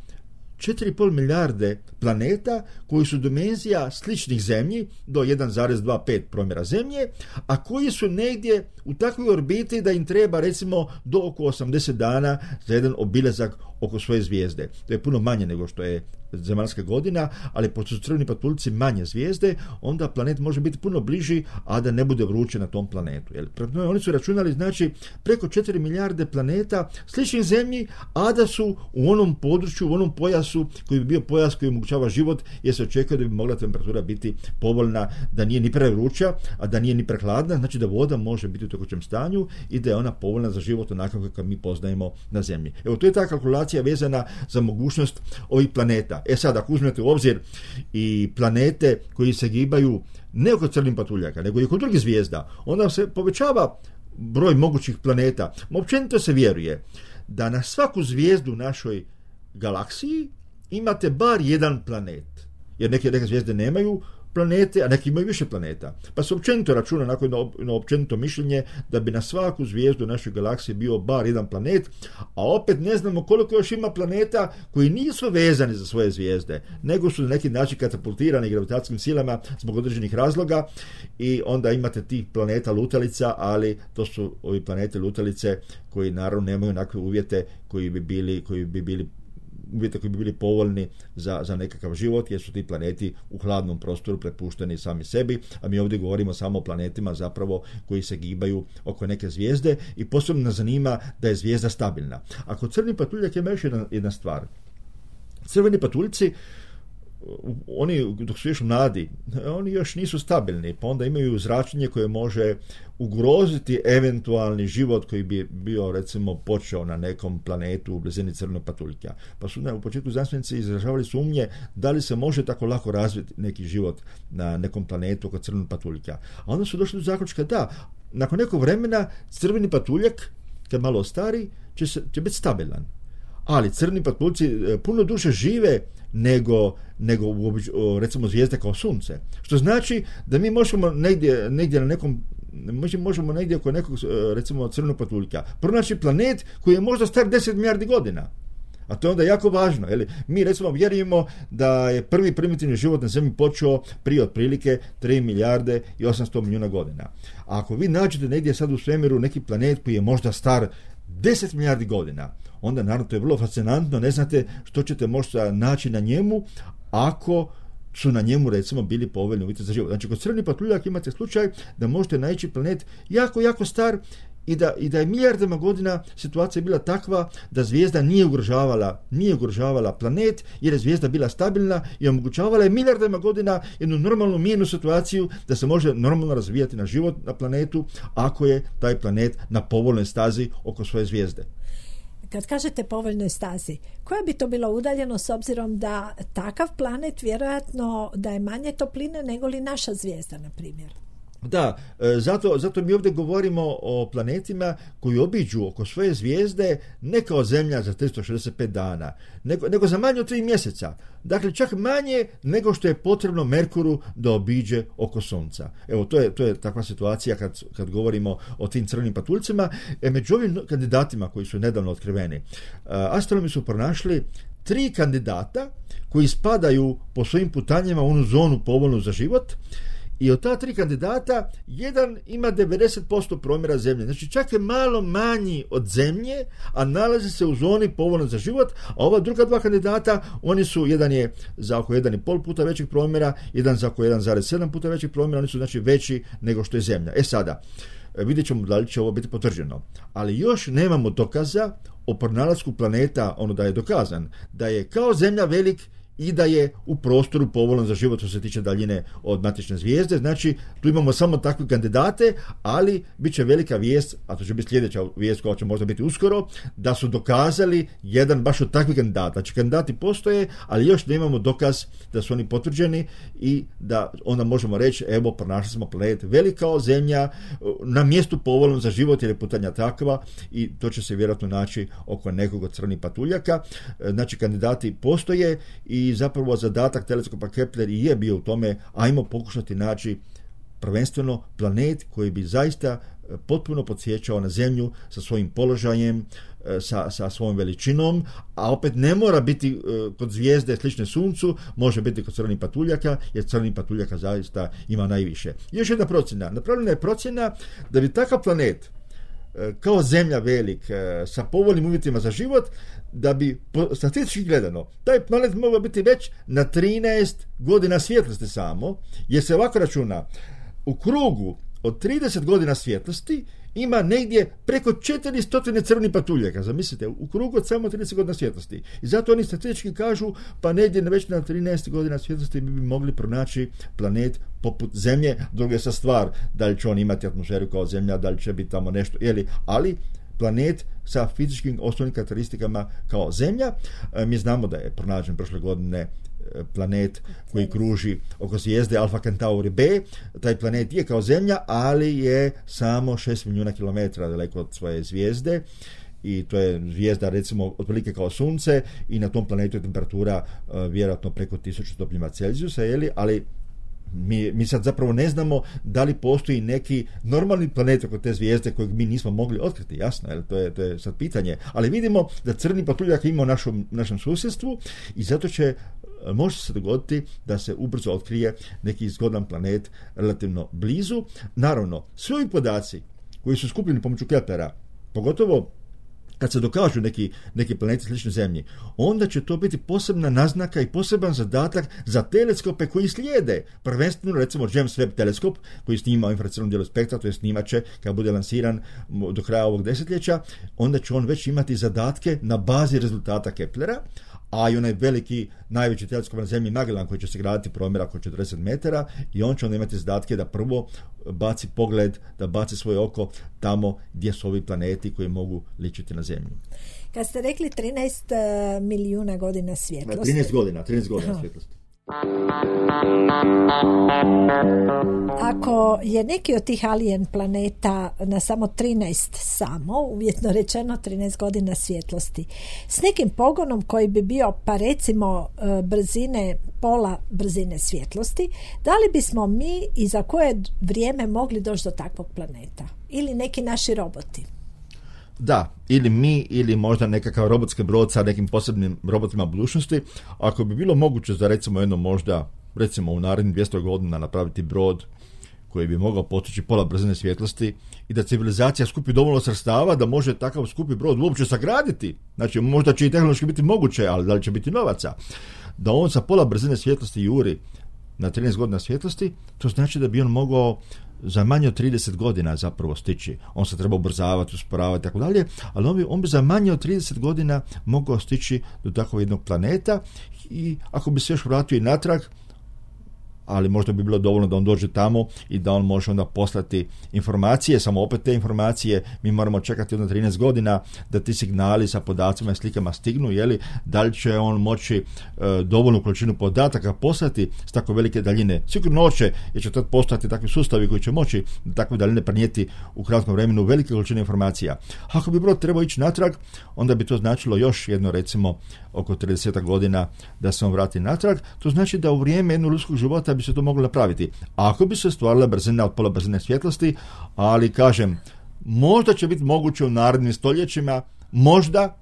četiri i pol milijarde planeta koji su dimenzija sličnih Zemlji do jedan zarez dvadeset pet promjera Zemlje, a koji su negdje u takvoj orbiti da im treba recimo do oko osamdeset dana za jedan obilazak oko svoje zvijezde. To je puno manje nego što je zemaljska godina, ali pošto su crveni patuljci manje zvijezde, onda planet može biti puno bliži, a da ne bude vruće na tom planetu. Jel? Oni su računali, znači, preko četiri milijarde planeta sličnih Zemlji, a da su u onom području, u onom pojasu koji bi bio pojas koji omogućava život, jer se očekuje da bi mogla temperatura biti povoljna, da nije ni prevruća, a da nije ni prehladna, znači da voda može biti u tekućem stanju i da je ona povoljna za život onako kako mi poznajemo na Zemlji. Evo, to je ta kalkulacija vezana za mogućnost ovih planeta. E sad, ako uzmete u obzir i planete koji se gibaju ne oko crvenih patuljaka, nego i oko drugih zvijezda, onda se povećava broj mogućih planeta. Općenito se vjeruje da na svaku zvijezdu u našoj galaksiji imate bar jedan planet. Jer neke, neke zvijezde nemaju planete, a neki imaju više planeta. Pa se općenito računa, onako jedno općenito mišljenje, da bi na svaku zvijezdu našoj galaksiji bio bar jedan planet, a opet ne znamo koliko još ima planeta koji nisu vezani za svoje zvijezde, nego su na neki način katapultirani gravitacijskim silama zbog određenih razloga i onda imate tih planeta lutalica, ali to su ovi planete lutalice koji naravno nemaju onakve uvjete koji bi bili, koji bi bili uvjete koji bi bili povoljni za, za nekakav život, jer su ti planeti u hladnom prostoru prepušteni sami sebi, a mi ovdje govorimo samo o planetima zapravo koji se gibaju oko neke zvijezde i posebno nas zanima da je zvijezda stabilna. A kod crni patuljak ima još jedna, jedna stvar. Crveni patuljci, oni dok su još mladi, oni još nisu stabilni, pa onda imaju zračenje koje može ugroziti eventualni život koji bi bio recimo počeo na nekom planetu u blizini crvenog patuljka. Pa su ne, u početku znanstvenici izražavali sumnje da li se može tako lako razviti neki život na nekom planetu oko crvenog patuljka. A onda su došli do zaključka da nakon nekog vremena crveni patuljak, kad malo stari, će, se, će biti stabilan. Ali crni patuljci puno duže žive nego, nego recimo zvijezde kao sunce. Što znači da mi možemo negdje, negdje na nekom možemo negdje oko nekog recimo crvenog patuljka pronaći planet koji je možda star deset milijardi godina. A to je onda jako važno. Jeli? Mi recimo vjerujemo da je prvi primitivni život na Zemlji počeo prije otprilike tri milijarde i osamsto milijuna godina. A ako vi nađete negdje sad u svemiru neki planet koji je možda star deset milijardi godina, onda naravno to je vrlo fascinantno, ne znate što ćete možda naći na njemu ako su na njemu recimo bili povoljni uvjeti za život. Znači kod crveni patuljak imate slučaj da možete naći planet jako, jako star i da, i da je milijardama godina situacija bila takva da zvijezda nije ugrožavala, nije ugrožavala planet jer je zvijezda bila stabilna i omogućavala je milijardama godina jednu normalnu mirnu situaciju da se može normalno razvijati na život na planetu ako je taj planet na povoljnoj stazi oko svoje zvijezde. Kad kažete povoljnoj stazi, koja bi to bila udaljenost s obzirom da takav planet vjerojatno da je manje topline nego li naša zvijezda, na primjer? Da, zato, zato mi ovdje govorimo o planetima koji obiđu oko svoje zvijezde ne kao Zemlja za tristo šezdeset pet dana, nego, nego za manje od tri mjeseca. Dakle, čak manje nego što je potrebno Merkuru da obiđe oko Sunca. Evo, to je, to je takva situacija kad, kad govorimo o tim crvenim patuljcima. E, među ovim kandidatima koji su nedavno otkriveni, astronomi su pronašli tri kandidata koji spadaju po svojim putanjima u onu zonu povoljnu za život. I od ta tri kandidata, jedan ima devedeset posto promjera Zemlje. Znači čak je malo manji od Zemlje, a nalazi se u zoni povoljno za život, a ova druga dva kandidata, oni su, jedan je za oko jedan i pol puta većih promjera, jedan za oko jedan zarez sedam puta većih promjera, oni su znači veći nego što je Zemlja. E sada, vidjet ćemo da li će ovo biti potvrđeno. Ali još nemamo dokaza o pronalasku planeta, ono da je dokazan, da je kao Zemlja velik i da je u prostoru povoljan za život što se tiče daljine od matične zvijezde. Znači, tu imamo samo takve kandidate, ali bit će velika vijest, a to će biti sljedeća vijest koja će možda biti uskoro, da su dokazali jedan baš od takvih kandidata. Znači, kandidati postoje, ali još ne imamo dokaz da su oni potvrđeni i da onda možemo reći, evo, pronašli smo planet velik kao Zemlja, na mjestu povoljnom za život, jer je putanja takva i to će se vjerojatno naći oko nekog od crvenih patuljaka. Znači, kandidati postoje i zapravo zadatak teleskopa Kepler i je bio u tome, ajmo pokušati naći prvenstveno planet koji bi zaista potpuno podsjećao na Zemlju sa svojim položajem, sa, sa svojom veličinom, a opet ne mora biti kod zvijezde slične Suncu, može biti kod crvenih patuljaka, jer crvenih patuljaka zaista ima najviše. Još jedna procjena. Napravljena je procjena da bi takav planet kao Zemlja velik, sa povoljnim uvjetima za život, da bi statistički gledano taj planet mogao biti već na trinaest godina svjetlosti samo, jer se ovako računa u krugu od trideset godina svjetlosti ima negdje preko četiristo crvenih patuljaka. Zamislite, u krugu od samo trideset godina svjetlosti. I zato oni statistički kažu, pa negdje već na trinaest godina svjetlosti bi, bi mogli pronaći planet poput Zemlje. Druga je sa stvar, da li će on imati atmosferu kao Zemlja, da li će biti tamo nešto, jeli, ali planet sa fizičkim osnovnim karakteristikama kao Zemlja. E, mi znamo da je pronađen prošle godine planet koji kruži oko zvijezde Alfa Centauri B. Taj planet je kao Zemlja, ali je samo šest milijuna kilometara daleko od svoje zvijezde i to je zvijezda recimo otprilike kao Sunce i na tom planetu je temperatura uh, vjerojatno preko tisuću stupnjeva Celzijusa, jeli? Ali Mi, mi sad zapravo ne znamo da li postoji neki normalni planet oko te zvijezde kojeg mi nismo mogli otkriti, jasno, jer to je, to je sad pitanje. Ali vidimo da crni patuljak ima u našom, našem susjedstvu i zato će, može se dogoditi da se ubrzo otkrije neki zgodan planet relativno blizu. Naravno, svi ovi podaci koji su skupljeni pomoću Keplera, pogotovo kad se dokažu neki, neki planeti slični Zemlji, onda će to biti posebna naznaka i poseban zadatak za teleskope koji slijede. Prvenstveno, recimo, James Webb teleskop, koji snima u infracrvenom dijelu spektra, to je snimat će kad bude lansiran do kraja ovog desetljeća, onda će on već imati zadatke na bazi rezultata Keplera, a i onaj veliki, najveći teleskop na Zemlji Magellan, koji će se graditi promjera oko četrdeset metara, i on će onda imati zadatke da prvo baci pogled, da baci svoje oko tamo gdje su ovi planeti koji mogu ličiti na Zemlju. Kad ste rekli trinaest milijuna godina svjetlosti. trinaest godina, trinaest godina svjetlosti. Ako je neki od tih alien planeta na samo trinaest samo, uvjetno rečeno trinaest godina svjetlosti, s nekim pogonom koji bi bio pa recimo brzine, pola brzine svjetlosti, da li bismo mi i za koje vrijeme mogli doći do takvog planeta? Ili neki naši roboti? Da, ili mi, ili možda nekakav robotski brod sa nekim posebnim robotima budućnosti. Ako bi bilo moguće za recimo jedno možda, recimo u narednih dvjesto godina napraviti brod koji bi mogao postići pola brzine svjetlosti i da civilizacija skupi dovoljno sredstava da može takav skupi brod uopće sagraditi. Znači, možda će i tehnološki biti moguće, ali da li će biti novaca? Da on sa pola brzine svjetlosti juri na trinaest godina svjetlosti, to znači da bi on mogao za manje od trideset godina zapravo stići. On se treba ubrzavati, usporavati, tako dalje, ali on bi, on bi za manje od trideset godina mogao stići do takvog jednog planeta i ako bi se još vratio i natrag, ali možda bi bilo dovoljno da on dođe tamo i da on može onda poslati informacije, samo opet te informacije mi moramo čekati onda trinaest godina da ti signali sa podacima i slikama stignu, jeli, da li će on moći e, dovoljnu količinu podataka poslati s tako velike daljine. Sigurno hoće, jer će tad postojati takvi sustavi koji će moći takve daljine prenijeti u kratkom vremenu velike količine informacija. Ako bi brod trebao ići natrag, onda bi to značilo još jedno, recimo, oko trideset godina da se on vrati natrag. To znači da u vrijeme jednog ljudskog života bi se to moglo napraviti. Ako bi se stvarila brzina od pola brzine svjetlosti, ali kažem, možda će biti moguće u narednim stoljećima, možda,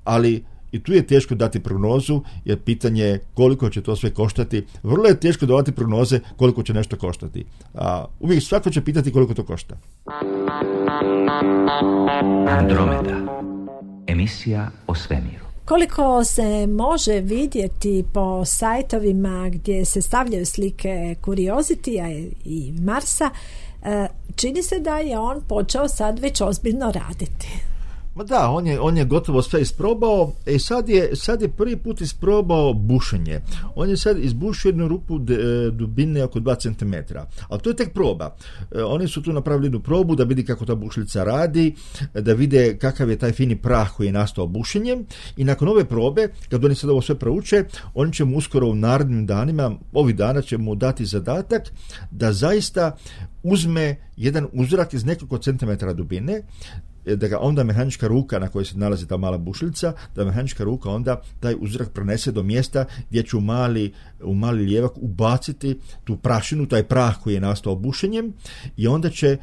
ali i tu je teško dati prognozu, jer pitanje je koliko će to sve koštati. Vrlo je teško davati prognoze koliko će nešto koštati. A uvijek svako će pitati koliko to košta. Andromeda. Emisija o svemiru. Koliko se može vidjeti po sajtovima gdje se stavljaju slike Curiositya i Marsa, čini se da je on počeo sad već ozbiljno raditi. Ma da, on je, on je gotovo sve isprobao i sad je, sad je prvi put isprobao bušenje. On je sad izbušio jednu rupu de, dubine oko dva centimetra. Ali to je tek proba. E, oni su tu napravili jednu probu da vidi kako ta bušilica radi, da vide kakav je taj fini prah koji je nastao bušenjem i nakon ove probe, kad oni sad ovo sve prouče, oni će mu uskoro u narednim danima, ovih dana će mu dati zadatak da zaista uzme jedan uzorak iz nekoliko centimetara dubine, da ga onda mehanička ruka na kojoj se nalazi ta mala bušilica, da mehanička ruka onda taj uzorak prenese do mjesta gdje će u mali, u mali lijevak ubaciti tu prašinu, taj prah koji je nastao bušenjem i onda će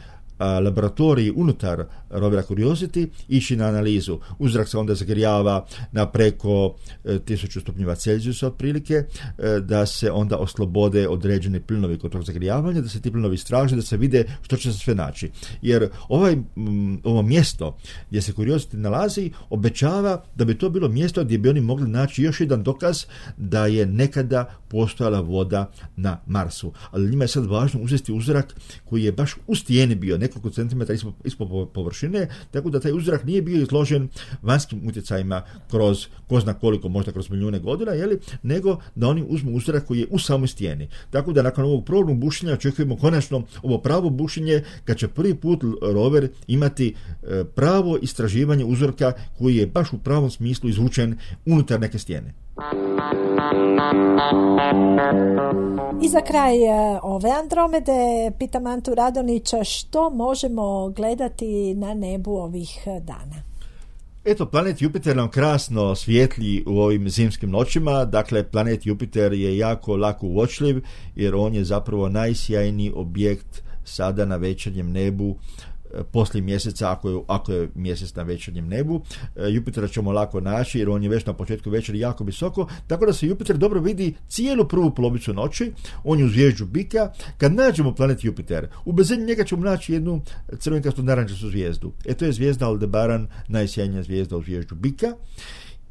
laboratoriji unutar rovera Curiosity ići na analizu. Uzorak se onda zagrijava na preko tisuću stupnjeva Celzijusa otprilike, da se onda oslobode određeni plinovi kod tog zagrijavanja, da se ti plinovi istraže, da se vide što će se sve naći. Jer ovaj, ovo mjesto gdje se Curiosity nalazi obećava da bi to bilo mjesto gdje bi oni mogli naći još jedan dokaz da je nekada postojala voda na Marsu. Ali njima je sad važno uzeti uzorak koji je baš u stijeni bio, nekoliko centimetara ispod, ispod površine, tako da taj uzorak nije bio izložen vanjskim utjecajima kroz ko zna koliko, možda kroz milijune godina, jeli, nego da oni uzmu uzorak koji je u samoj stijeni. Tako da nakon ovog probnog bušenja očekujemo konačno ovo pravo bušenje, kad će prvi put rover imati pravo istraživanje uzorka koji je baš u pravom smislu izvučen unutar neke stijene. I za kraj ove Andromede pitam Antu Radonića, što možemo gledati na nebu ovih dana? Eto, planet Jupiter nam krasno svijetli u ovim zimskim noćima. Dakle, planet Jupiter je jako lako uočljiv jer on je zapravo najsjajniji objekt sada na večernjem nebu poslije mjeseca, ako je, ako je mjesec na večernjem nebu. Jupitera ćemo lako naći jer on je već na početku večeri jako visoko, tako da se Jupiter dobro vidi cijelu prvu polovicu noći. On je u zvijezdu Bika. Kad nađemo planet Jupiter, u blizini njega ćemo naći jednu crvenkastu narančastu zvijezdu. E to je zvijezda Aldebaran, najsjajnija zvijezda u zvijezdu Bika.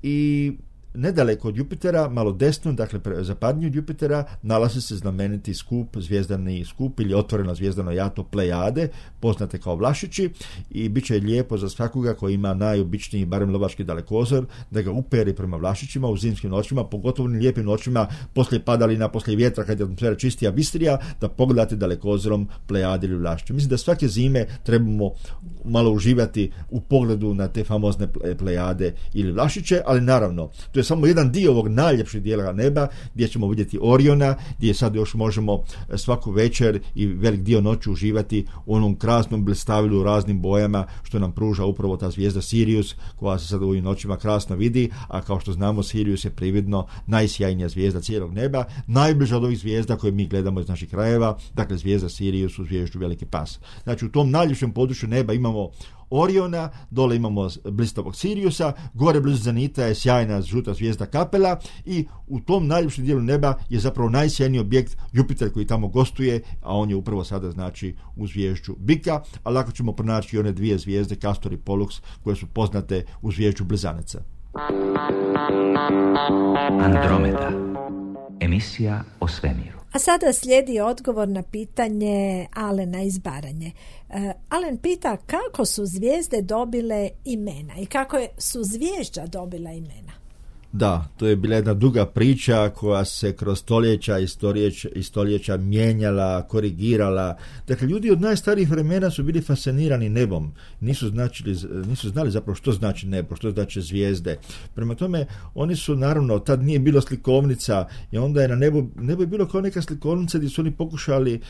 I nedaleko od Jupitera, malo desno, dakle zapadnije od Jupitera, nalazi se znameniti skup, zvijezdani skup ili otvoreno zvijezdano jato Plejade, poznate kao Vlašići, i bit će lijepo za svakoga koji ima najobičniji, barem lovački dalekozor, da ga uperi prema Vlašićima u zimskim noćima, pogotovo u lijepim noćima poslije padalina, poslije vjetra, kad je atmosfera čistija, bistrija, da pogledate dalekozorom Plejade ili Vlašiće. Mislim da svake zime trebamo malo uživati u pogledu na te famozne Plejade ili Vlašiće, ali naravno, to je samo jedan dio ovog najljepšeg dijela neba gdje ćemo vidjeti Oriona, gdje sad još možemo svaku večer i velik dio noći uživati u onom krasnom blestavilu u raznim bojama što nam pruža upravo ta zvijezda Sirius, koja se sad u ovim noćima krasno vidi, a kao što znamo Sirius je prividno najsjajnija zvijezda cijelog neba, najbliža od ovih zvijezda koje mi gledamo iz naših krajeva, dakle zvijezda Sirius u zvijezdu Veliki pas. Znači u tom najljepšem području neba imamo Oriona, dole imamo blistavog Siriusa, gore blizu Zenita je sjajna žuta zvijezda Kapela i u tom najljepšem dijelu neba je zapravo najsjajniji objekt Jupiter koji tamo gostuje, a on je upravo sada znači u zvijezdu Bika, a lako ćemo pronaći i one dvije zvijezde Castor i Pollux koje su poznate u zvijezdu Blizaneca. Andromeda, emisija o svemiru. A sada slijedi odgovor na pitanje Alena iz Baranje. Uh, Alen pita kako su zvijezde dobile imena i kako su zvijezda dobila imena. Da, to je bila jedna duga priča koja se kroz stoljeća i stoljeća, i stoljeća mijenjala, korigirala. Dakle, ljudi od najstarijih vremena su bili fascinirani nebom. Nisu, značili, nisu znali zapravo što znači nebo, što znači zvijezde. Prema tome, oni su, naravno, tad nije bilo slikovnica i onda je na nebu, nebo je bilo kao neka slikovnica gdje su oni pokušali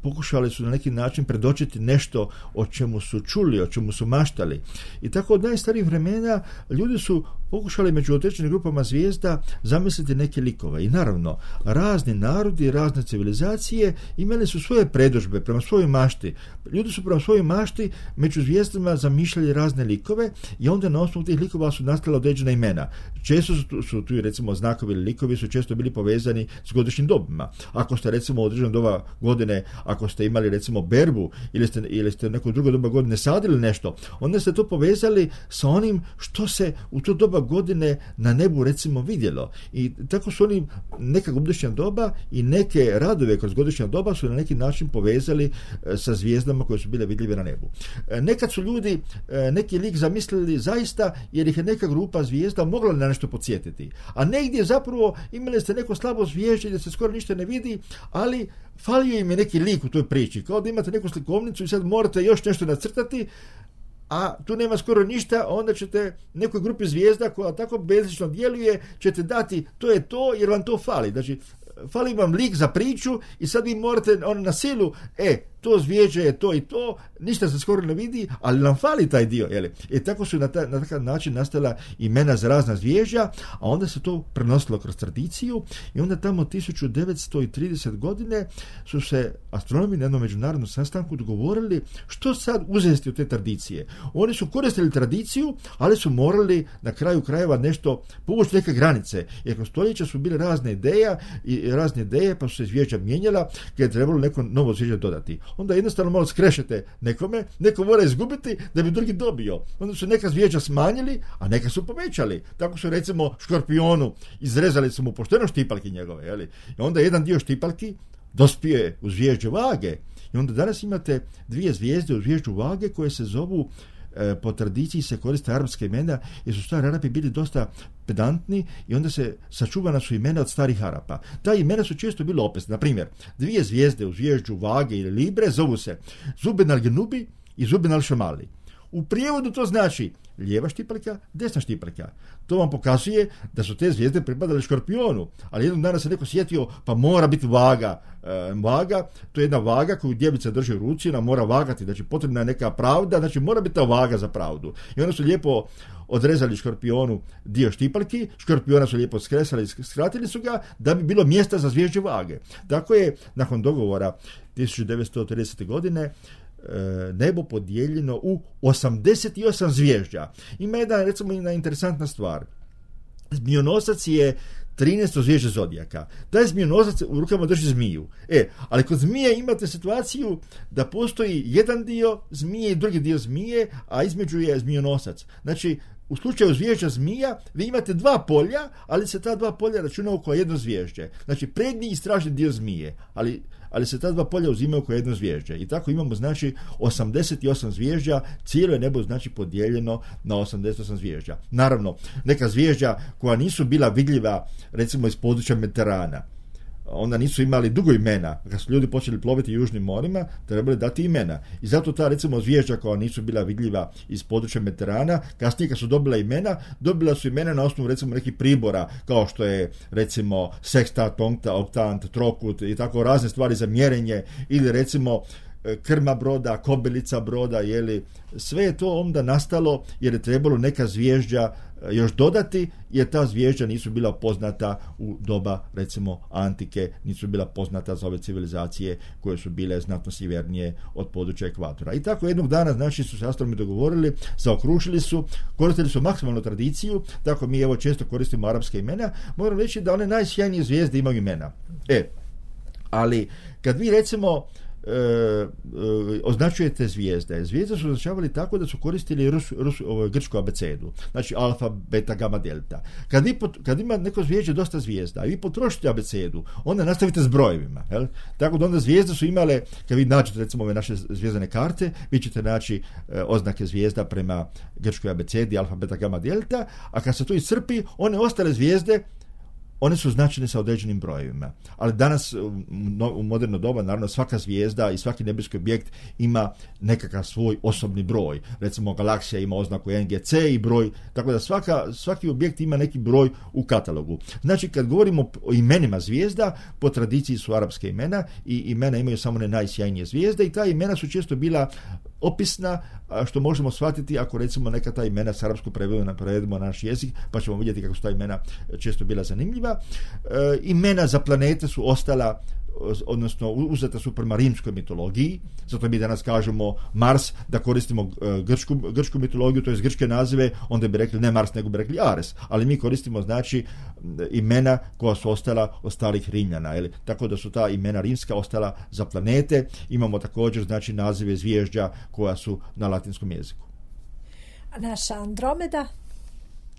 pokušali su na neki način predočiti nešto o čemu su čuli, o čemu su maštali. I tako od najstarijih vremena ljudi su pokušali među određenim grupama zvijezda zamisliti neke likove. I naravno, razni narodi, razne civilizacije imali su svoje predodžbe prema svojoj mašti. Ljudi su prema svojoj mašti među zvijezdama zamišljali razne likove i onda na osnovu tih likova su nastala određena imena. Često su tu, su tu recimo znakovi ili likovi su često bili povezani s godišnjim dobima. Ako ste recimo u određenom doba godine, ako ste imali recimo berbu ili ste, ili ste u neko drugo doba godine sadili nešto, onda ste to povezali sa onim što se u to doba godine na nebu recimo vidjelo. I tako su oni neka godišnja doba i neke radove kroz godišnja doba su na neki način povezali e, sa zvijezdama koje su bile vidljive na nebu. E, nekad su ljudi e, neki lik zamislili zaista jer ih je neka grupa zvijezda mogla na nešto podsjetiti. A negdje zapravo imali ste neko slabo zvijezde gdje se skoro ništa ne vidi, ali falio im je neki lik u toj priči. Kao da imate neku slikovnicu i sad morate još nešto nacrtati, a tu nema skoro ništa, onda ćete nekoj grupi zvijezda koja tako bezlično djeluje, ćete dati to je to jer vam to fali. Znači, fali vam lik za priču i sad vi morate on, na silu, e, to zvjeđe je to i to, ništa se skoro ne vidi, ali nam fali taj dio. Jeli? I tako su na, ta, na takav način nastala imena za razna zvježđa, a onda se to prenosilo kroz tradiciju i onda tamo tisuću devetsto trideset godine su se astronomi na jednom međunarodnom sastanku dogovorili što sad uzeti od te tradicije. Oni su koristili tradiciju, ali su morali na kraju krajeva nešto povući neke granice, jer kroz stoljeća su bile razne ideje i razne ideje, pa su se zvježđa mijenjala, kad je trebalo neko novo zvježđe dodati. Onda jednostavno malo skrešete nekome, neko mora izgubiti da bi drugi dobio. Onda su neka zvježđa smanjili, a neka su povećali. Tako su recimo škorpionu izrezali su mu pošteno štipalki njegove. Jeli? I onda jedan dio štipalki dospije u zvježđe Vage. I onda danas imate dvije zvijezde u zvježđu Vage koje se zovu, po tradiciji se koriste arapska imena jer su stari Arapi bili dosta pedantni i onda se sačuvana su imena od starih Arapa. Ta imena su često bile opasne. Na primjer, dvije zvijezde u zvježđu Vage ili Libre zovu se Zuben al-Genubi i Zuben al-Šamali. U prijevodu to znači lijeva štipaljka, desna štipaljka. To vam pokazuje da su te zvijezde pripadale Škorpionu, ali jednog dana se neko sjetio, pa mora biti vaga. E, vaga, to je jedna vaga koju djevica drži u ruci, ona mora vagati, znači potrebna je neka pravda, znači mora biti ta vaga za pravdu. I onda su lijepo odrezali Škorpionu dio štipaljki, Škorpiona su lijepo skresali, skratili su ga da bi bilo mjesta za zvježđe vage. Tako je, nakon dogovora tisuću devetsto tridesete godine, nebo podijeljeno u osamdeset osam zvježđa. Ima jedna, recimo, jedna interesantna stvar. Zmijonosac je trinaesto zvježđe zodijaka. Taj zmijonosac u rukama drži zmiju. E, ali kod zmije imate situaciju da postoji jedan dio zmije i drugi dio zmije, a između je zmijonosac. Znači, u slučaju zvježđa zmija, vi imate dva polja, ali se ta dva polja računaju kao jedno zvježđe. Znači, prednji i stražni dio zmije, ali, ali se ta dva polja uzimaju kao jedno zvježđe. I tako imamo, znači, osamdeset osam zvježđa, cijelo je nebo, znači, podijeljeno na osamdeset osam zvježđa. Naravno, neka zvježđa koja nisu bila vidljiva, recimo, iz područja Mediterana, onda nisu imali dugo imena. Kad su ljudi počeli ploviti južnim morima, trebali dati imena. I zato ta, recimo, zvježđa koja nisu bila vidljiva iz područja Mediterana, kasnije kad su dobila imena, dobila su imena na osnovu, recimo, nekih pribora, kao što je, recimo, sekstant, oktant, trokut i tako razne stvari za mjerenje, ili, recimo, krma broda, kobilica broda, jeli, sve je to onda nastalo jer je trebalo neka zvježđa još dodati, jer ta zvježđa nisu bila poznata u doba, recimo, antike, nisu bila poznata za ove civilizacije koje su bile znatno sjevernije od područja ekvatora. I tako jednog dana, znači, su se astronomi dogovorili, zaokružili su, koristili su maksimalnu tradiciju, tako mi evo često koristimo arapske imena. Moram reći da one najsjajnije zvijezde imaju imena. E, ali kad vi, recimo, E, e, označujete zvijezde. Zvijezde su označavali tako da su koristili rus, rus, ovo, grčku abecedu. Znači alfa, beta, gamma, delta. Kad, vi pot, kad ima neko zvježđe dosta zvijezda i vi potrošite abecedu, onda nastavite s brojevima. Jel? Tako da onda zvijezde su imale, kad vi nađete, recimo, ove naše zvijezdane karte, vi ćete naći e, oznake zvijezda prema grčkoj abecedi, alfa, beta, gamma, delta, a kad se to iscrpi, one ostale zvijezde, one su značene sa određenim brojevima. Ali danas, u moderno doba, naravno, svaka zvijezda i svaki nebeski objekt ima nekakav svoj osobni broj. Recimo, galaksija ima oznaku N G C i broj, tako da svaka, svaki objekt ima neki broj u katalogu. Znači, kad govorimo o imenima zvijezda, po tradiciji su arapske imena i imena imaju samo ne najsjajnije zvijezde i ta imena su često bila opisna, što možemo shvatiti ako, recimo, neka ta imena s arapskog prevedemo, prevedemo na naš jezik, pa ćemo vidjeti kako su ta imena često bila zanimljiva. E, imena za planete su ostala, odnosno uzeta su prema rimskoj mitologiji, zato mi danas kažemo Mars, da koristimo grčku, grčku mitologiju, to je grčke nazive, onda bi rekli ne Mars, nego bi rekli Ares, ali mi koristimo, znači, imena koja su ostala od starih Rimljana, ili tako da su ta imena rimska ostala za planete. Imamo također, znači, nazive zvježđa koja su na latinskom jeziku. A naša Andromeda?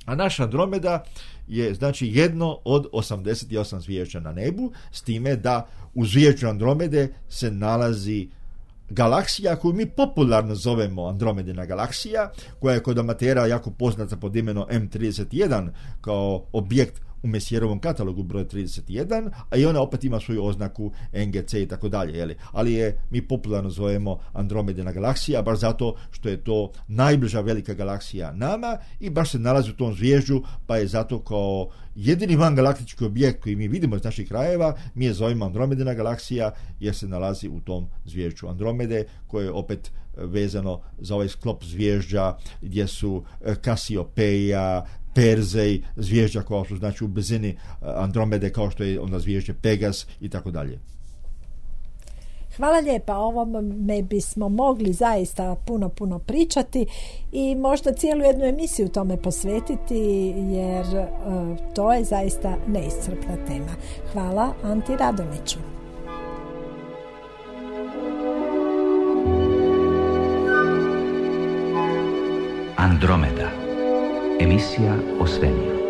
A naša Andromeda je, znači, jedno od osamdeset osam zvježđa na nebu, s time da u zvježđu Andromede se nalazi galaksija koju mi popularno zovemo Andromedina galaksija, koja je kod amatera jako poznata pod imenom M trideset jedan kao objekt u Messijerovom katalogu broj trideset jedan, a i ona opet ima svoju oznaku N G C i tako dalje, ali je mi popularno zovemo Andromedina galaksija, baš zato što je to najbliža velika galaksija nama i baš se nalazi u tom zvježđu, pa je zato kao jedini vangalaktički objekt koji mi vidimo iz naših krajeva, mi je zovemo Andromedina galaksija jer se nalazi u tom zvježđu Andromede, koje je opet vezano za ovaj sklop zvježđa gdje su Kasiopeja, Perzej, zvježđa koja su, znači, u blizini Andromede, kao što je onda zvježđe Pegas i tako dalje. Hvala lijepa, o ovome bismo mogli zaista puno, puno pričati i možda cijelu jednu emisiju tome posvetiti, jer uh, to je zaista neiscrpna tema. Hvala Anti Radoniću. Andromeda, emisija o svemiru.